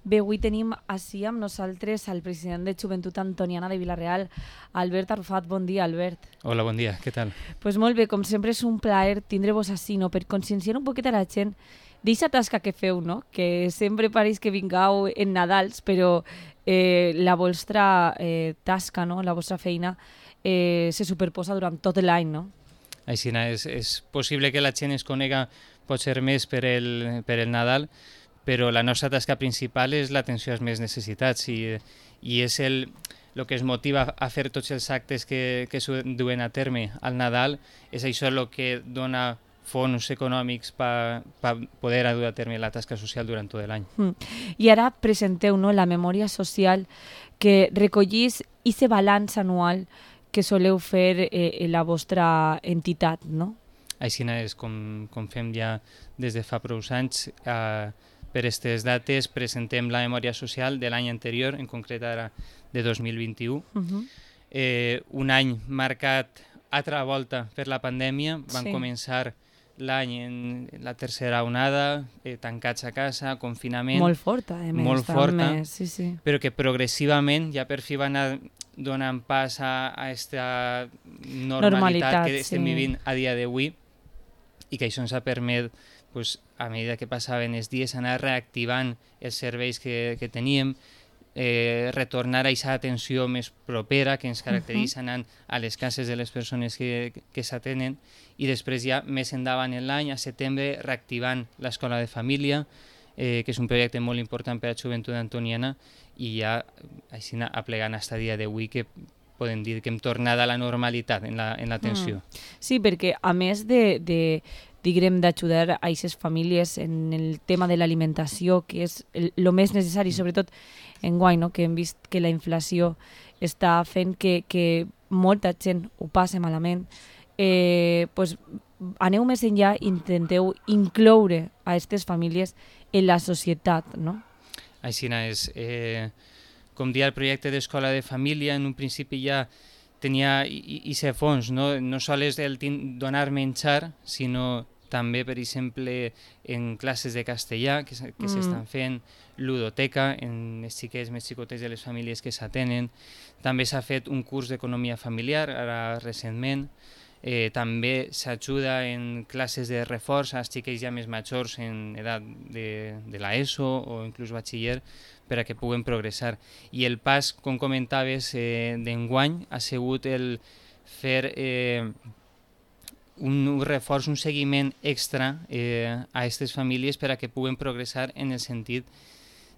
Bé, avui tenim així amb nosaltres el president de Joventut Antoniana de Vila-real, Albert Arrufat. Bon dia, Albert. Hola, bon dia, què tal? Pues molt bé, com sempre és un plaer tindre-vos així, no? Per conscienciar un poquet a la gent d'eixa tasca que feu, no? Que sempre pareix que vingueu en Nadals, però la vostra tasca, no? La vostra feina se superposa durant tot l'any, no? Així és possible que la gent es conega potser més per el Nadal, però la nostra tasca principal és l'atenció als més necessitats i és el que es motiva a fer tots els actes que es duen a terme al Nadal, és això el que dona fons econòmics per poder dur a terme la tasca social durant tot l'any. I ara presenteu, no, la memòria social que recollís aquest balanç anual que soleu fer la vostra entitat, no? Així és com fem ja des de fa prou anys. Per aquestes dates presentem la memòria social de l'any anterior, en concret ara de 2021. Un any marcat altra volta per la pandèmia. Van començar l'any en la tercera onada, tancats a casa, confinament. Molt forta, molt forta, sí. Però que progressivament ja per fi van anar donant pas a aquesta normalitat que estem vivint a dia d'avui i que això ens ha permès, a mesura que passaven els dies, anar reactivant els serveis que teníem, retornar a aquesta atenció més propera que ens caracteritza anant a les cases de les persones que s'atenen, i després ja més endavant en l'any, a setembre, reactivant l'escola de família, que és un projecte molt important per a Joventut Antoniana, i ja així aplegant fins a dia d'avui que podem dir que hem tornat a la normalitat en l'atenció. Sí, perquè a més diguem, d'ajudar a aquestes famílies en el tema de l'alimentació, que és el més necessari, sobretot enguany, no? Que hem vist que la inflació està fent que molta gent ho passi malament, aneu més enllà i intenteu incloure a aquestes famílies en la societat, no? Així és. Com deia, el projecte d'escola de família en un principi ja tenia aquest fons, no sols el donar menjar, sinó també, per exemple, en classes de castellà que s'estan fent, ludoteca en els xiquets més xicotets de les famílies que s'atenen. També s'ha fet un curs d'economia familiar, ara recentment. També s'ajuda en classes de reforç als xiquets ja més majors en edat de l'ESO o inclús batxiller, per a que puguen progressar. I el pas, com comentaves, d'enguany ha sigut el fer un reforç, un seguiment extra a aquestes famílies per a que puguen progressar en el sentit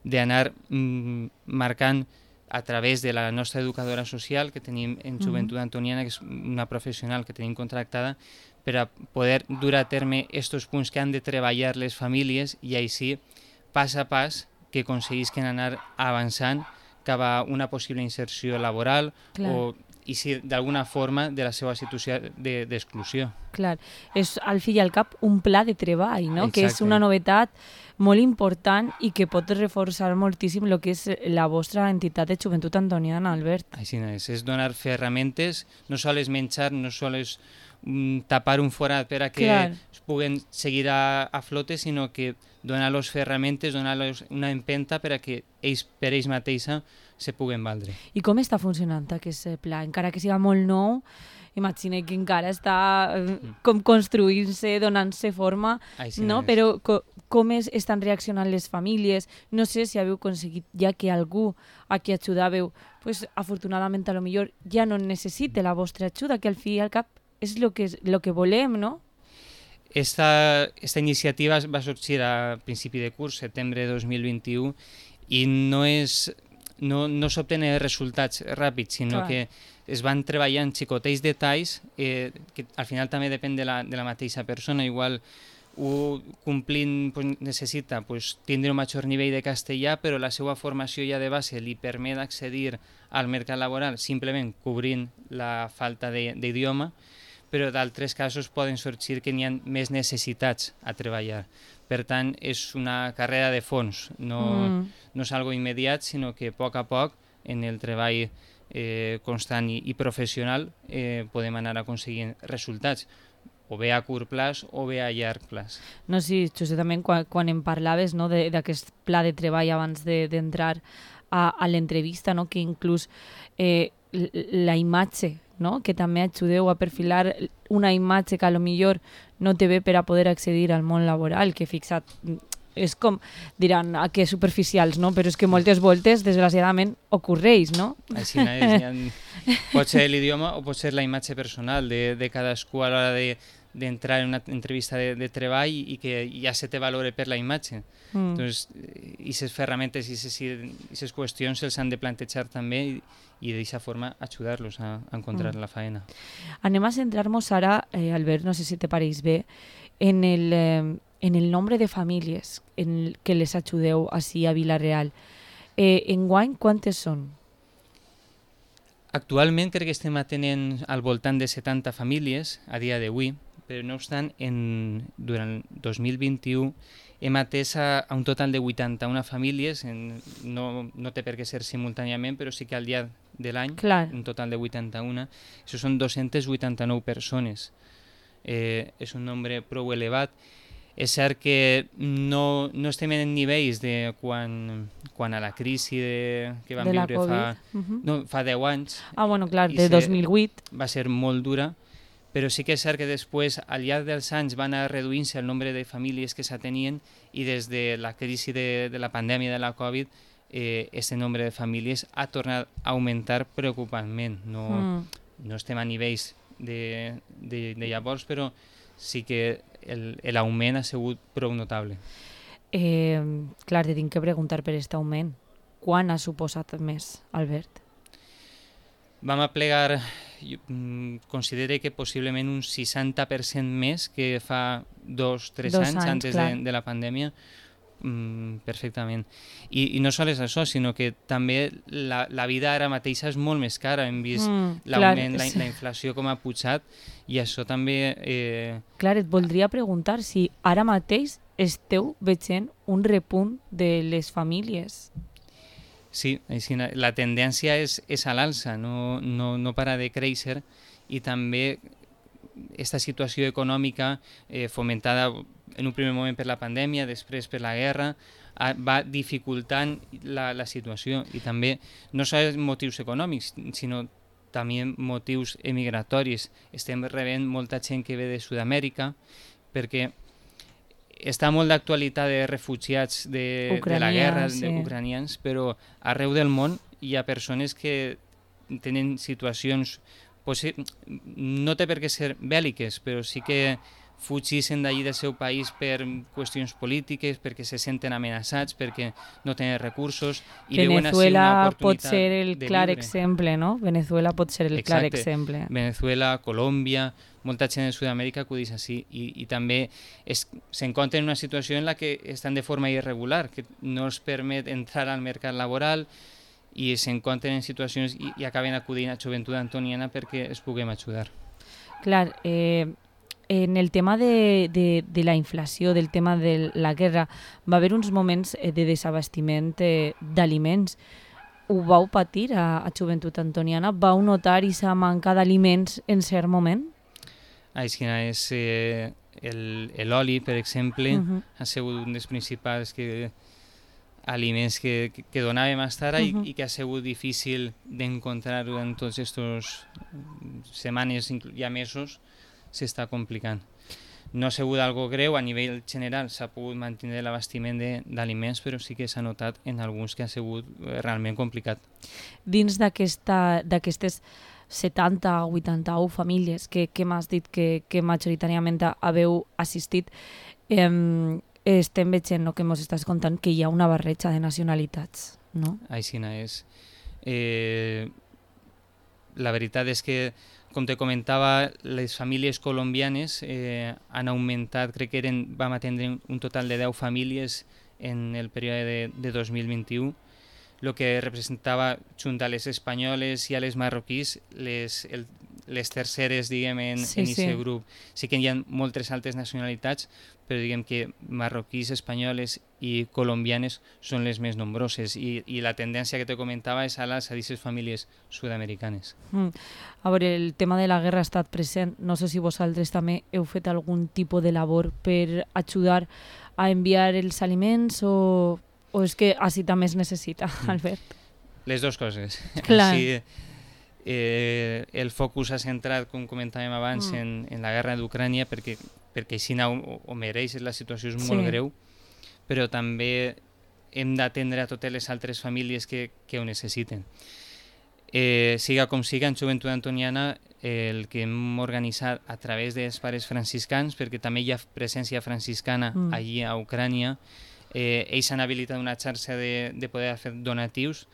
d'anar marcant a través de la nostra educadora social que tenim en Joventut Antoniana, que és una professional que tenim contractada, per a poder dur a terme aquests punts que han de treballar les famílies i així, pas a pas, que aconseguisquen anar avançant cap a una possible inserció laboral o i si d'alguna forma de la seva situació d'exclusió. Clar, és al fi i al cap un pla de treball, no? Exacte. Que és una novetat molt important i que pot reforçar moltíssim el que és la vostra entitat de Joventut Antoniana, Albert. Així és donar ferramentes, no sols menjar, no sols tapar un forat per a que es puguen seguir a flote, sinó que donar-los ferramentes, donar-los una empenta per a que ells per ells mateixa se puguen valdre. I com està funcionant aquest pla? Encara que siga molt nou, imagina que encara està com construint-se, donant-se forma, no? Però com estan reaccionant les famílies? No sé si haveu aconseguit ja que algú a qui ajudàveu, afortunadament a lo millor ja no necessite la vostra ajuda, que al fi i al cap és el que volem, no? Esta iniciativa va sorgir a principi de curs, setembre de 2021, i no s'obtenen resultats ràpids, sinó que es van treballant xicotets detalls que al final també depèn de la mateixa persona. Igual complint necessita tindre un major nivell de castellà, però la seva formació ja de base li permet accedir al mercat laboral simplement cobrint la falta d'idioma, però d'altres casos poden sorgir que n'hi ha més necessitats a treballar. Per tant, és una carrera de fons, no és algo immediat, sinó que a poc, en el treball constant i professional, podem anar aconseguint resultats. o bé a curt plaç o bé a llarg plaç. No, sí, justament quan em parlaves, no, d'aquest pla de treball abans d'entrar a l'entrevista, no, que inclús la imatge, no, que també ajudeu a perfilar una imatge que a lo millor no té bé per a poder accedir al món laboral, que fixa't, és com, diran, que superficials, no? Però és que moltes voltes, desgraciadament, ocorreix, no? Així pot ser l'idioma o pot ser la imatge personal de cadascú a l'hora d'entrar en una entrevista de treball i que ja se te valore per la imatge. Entonces, aquestes ferramentes i aquestes qüestions se'ls han de plantejar també i d'aquesta forma ajudar-los a encontrar la feina. Anem a centrar-nos ara, Albert, no sé si te pareix bé, en el nombre de famílies que les ajudeu així a Vila-real. Enguany, quantes són? Actualment crec que estem atenent al voltant de 70 famílies a dia d'avui, però no obstant, durant 2021 hem atès a un total de 81 famílies, no té per què ser simultàniament, però sí que al llarg de l'any, un total de 81, això són 289 persones. És un nombre prou elevat. És cert que no estem en nivells de quan a la crisi que vam viure fa 10 anys. Bueno, clar, de 2008. Va ser molt dura, però sí que és cert que després, al llarg dels anys, van anar reduint-se el nombre de famílies que s'atenien i des de la crisi de la pandèmia de la Covid, aquest nombre de famílies ha tornat a augmentar preocupantment. No estem a nivells de llavors, però sí que l'augment ha sigut prou notable. Clar, te tinc que preguntar per aquest augment. Quan ha suposat més, Albert? Vam aplegar, considero que possiblement un 60% més que fa 2-3 anys antes de la pandèmia, perfectament. I no sols això, sinó que també la vida ara mateixa és molt més cara. Hem vist l'augment, la inflació com ha pujat i això també... Clar, et voldria preguntar si ara mateix esteu veient un repunt de les famílies. Sí, la tendència és a l'alça, no para de créixer i també aquesta situació econòmica fomentada en un primer moment per la pandèmia, després per la guerra, va dificultant la situació i també no sols motius econòmics, sinó també motius emigratoris. Estem rebent molta gent que ve de Sud-amèrica perquè està molt d'actualitat de refugiats de la guerra, ucranians, però arreu del món hi ha persones que tenen situacions, no té per què ser bèl·liques, però sí que fugixen d'allí del seu país per qüestions polítiques, perquè se senten amenaçats, perquè no tenen recursos. I Venezuela pot ser el clar exemple, no? Venezuela pot ser el clar exemple. Venezuela, Colòmbia, molta gent de Sud-amèrica acudeix així i també s'encontren en una situació en la que estan de forma irregular, que no els permet entrar al mercat laboral i s'encontren en situacions i acaben acudint a Joventut Antoniana perquè es puguem ajudar. Clar, en el tema de la inflació, del tema de la guerra, va haver uns moments de desabastiment d'aliments. Ho vau patir a Joventut Antoniana? Vau notar aquesta manca d'aliments en cert moment? Així és, l'oli, per exemple, ha sigut un dels principals aliments que donàvem fins ara i que ha sigut difícil d'encontrar durant tots aquestes setmanes i mesos. S'està complicant. No ha sigut algo greu, a nivell general s'ha pogut mantenir l'abastiment d'aliments, però sí que s'ha notat en alguns que ha sigut realment complicat. Dins d'aquestes 70 o 81 famílies que m'has dit que majoritàriament haveu assistit, estem veient, no, que ens estàs contant que hi ha una barreja de nacionalitats, no? Així és. La veritat és que, com te comentava, les famílies colombianes han augmentat, crec que vam atendre un total de 10 famílies en el període de 2021, el que representava, junt a les espanyoles i a les marroquís, les terceres, diguem, en aquest grup. Sí que hi ha moltes altres nacionalitats, però diguem que marroquís, espanyoles i colombianes són les més nombroses, i la tendència que te comentava és a aquestes famílies sud-americanes. A veure, el tema de la guerra ha estat present. No sé si vosaltres també heu fet algun tipus de labor per ajudar a enviar els aliments o és que així també es necessita, Albert? Les dues coses. Clar. Sí, el focus s'ha centrat, com comentàvem abans, en la guerra d'Ucrània, perquè així ho mereix, la situació és molt greu, però també hem d'atendre a totes les altres famílies que ho necessiten. Siga com siga, en Joventut Antoniana el que hem organitzat a través dels pares franciscans, perquè també hi ha presència franciscana allí a Ucrània, ells han habilitat una xarxa de poder fer donatius,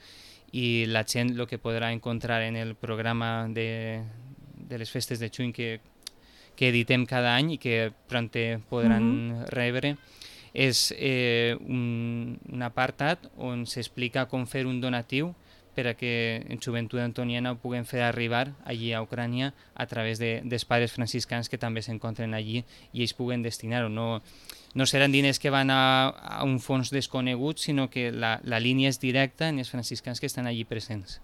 i la gent el que podrà encontrar en el programa de les festes de juny que editem cada any i que pronte podran rebre és un apartat on s'explica com fer un donatiu per a que en Joventut Antoniana ho puguem fer arribar allí a Ucrània a través dels pares franciscans que també s'encontren allí i ells puguen destinar-ho. No seran diners que van a un fons desconegut, sinó que la línia és directa en els franciscans que estan allí presents.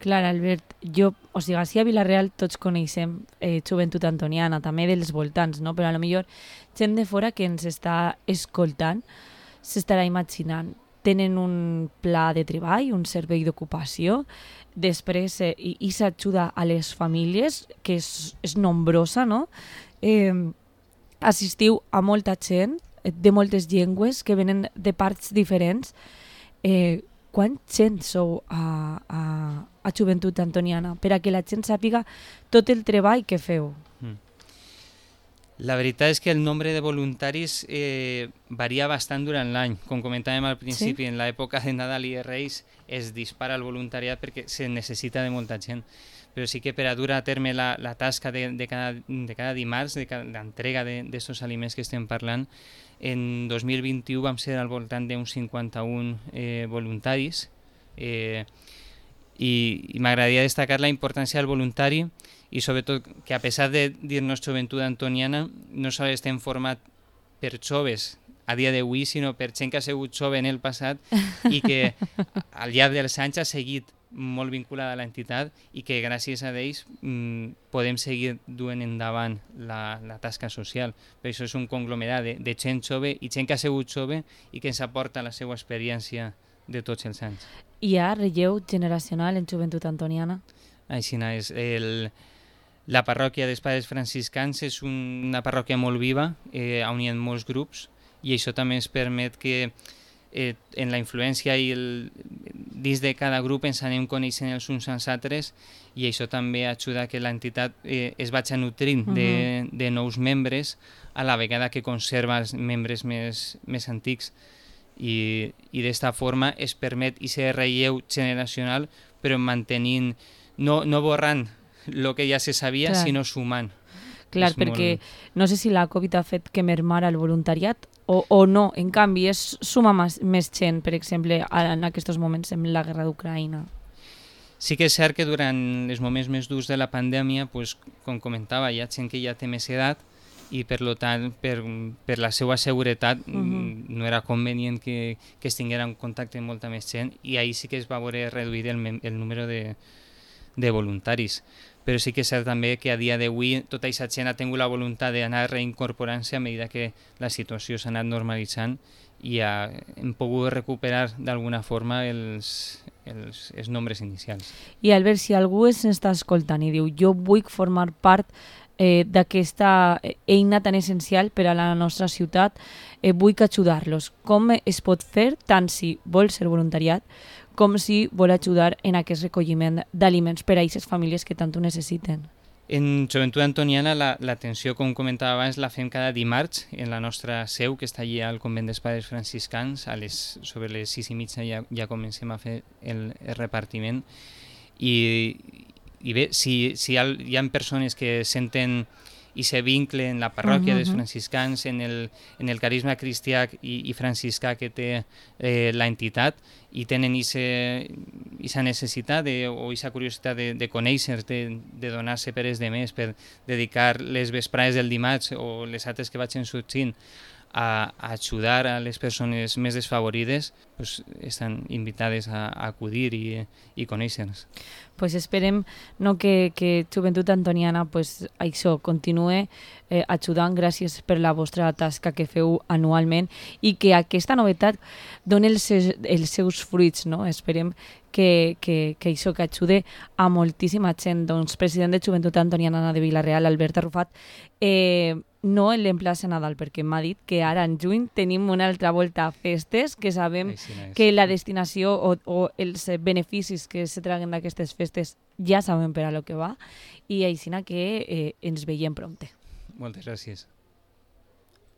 Clar, Albert, així a Vila-real tots coneixem Joventut Antoniana, també dels voltants, no? Però potser gent de fora que ens està escoltant s'estarà imaginant. Tenen un pla de treball, un servei d'ocupació, després i s'ajuda a les famílies, que és nombrosa, no? Assistiu a molta gent de moltes llengües que venen de parts diferents. Quant gent sou a Joventut Antoniana per a que la gent sàpiga tot el treball que feu? La veritat és que el nombre de voluntaris varia bastant durant l'any. Com comentàvem al principi, en l'època de Nadal i de Reis es dispara el voluntariat perquè se necessita de molta gent. Però sí que per a dur a terme la tasca de cada dimarts, de l'entrega d'aquests aliments que estem parlant, en 2021 vam ser al voltant d'uns 51 voluntaris i m'agradaria destacar la importància del voluntari i sobretot que a pesar de dir-nos Joventut Antoniana no sols estem format per joves a dia d'avui, sinó per gent que ha sigut jove en el passat i que al llarg dels anys ha seguit molt vinculada a l'entitat i que gràcies a ells podem seguir duent endavant la tasca social. Per això és un conglomerat de gent jove i gent que ha sigut jove i que ens aporta la seva experiència de tots els anys. Hi ha relleu generacional en Joventut Antoniana? Així és. La parròquia dels Pares Franciscans és una parròquia molt viva, on hi ha molts grups, i això també ens permet que en la influència i dins de cada grup ens anem coneixent els uns als altres, i això també ajuda que l'entitat es vagi nutrint de nous membres a la vegada que conserva els membres més antics. I d'esta forma es permet aquest relleu generacional, però mantenint, no borrant el que ja se sabia, sinó sumant. Clar, perquè no sé si la Covid ha fet que mermara el voluntariat o no, en canvi és sumar més gent, per exemple, en aquests moments en la guerra d'Ucraïna. Sí que és cert que durant els moments més durs de la pandèmia, com comentava, hi ha gent que ja té més edat i per tant, per la seva seguretat no era convenient que es tinguera en contacte amb molta més gent, i ahir sí que es va veure reduït el número de voluntaris. Però sí que és cert també que a dia d'avui tota aquesta gent ha tingut la voluntat d'anar reincorporant-se a mesura que la situació s'ha anat normalitzant i hem pogut recuperar d'alguna forma els nombres inicials. I Albert, si algú s'està escoltant i diu jo vull formar part d'aquesta eina tan essencial per a la nostra ciutat, vull ajudar-los, com es pot fer tant si vol ser voluntariat com si vol ajudar en aquest recolliment d'aliments per a aquestes famílies que tant ho necessiten? En Joventut Antoniana l'atenció, com comentava abans, la fem cada dimarts en la nostra seu, que està allà al convent dels Pares Franciscans. Sobre les 6:30 ja comencem a fer el repartiment. I bé, si hi ha persones que senten i se vincle en la parròquia dels franciscans, en el carisma cristià i franciscà que té l'entitat, i tenen aquest aquesta necessitat o aquesta curiositat de conèixer, de donar-se per els demés, per dedicar les vesprades del dimarts o les altres que vagin sorgint a ajudar a les persones més desfavorides, pues, estan invitades a acudir i conèixer-nos. Pues esperem que Joventut Antoniana pues, això continue ajudant. Gràcies per la vostra tasca que feu anualment i que aquesta novetat doni els seus fruits. No? Esperem que això que ajude a moltíssima gent. Doncs, president de Joventut Antoniana de Vila-real, Albert Arrufat, no l'emplaça a Nadal, perquè m'ha dit que ara en juny tenim una altra volta a festes, que sabem que la destinació o els beneficis que se traguen d'aquestes festes ja sabem per a lo que va, i així que ens veiem prompte. Moltes gràcies.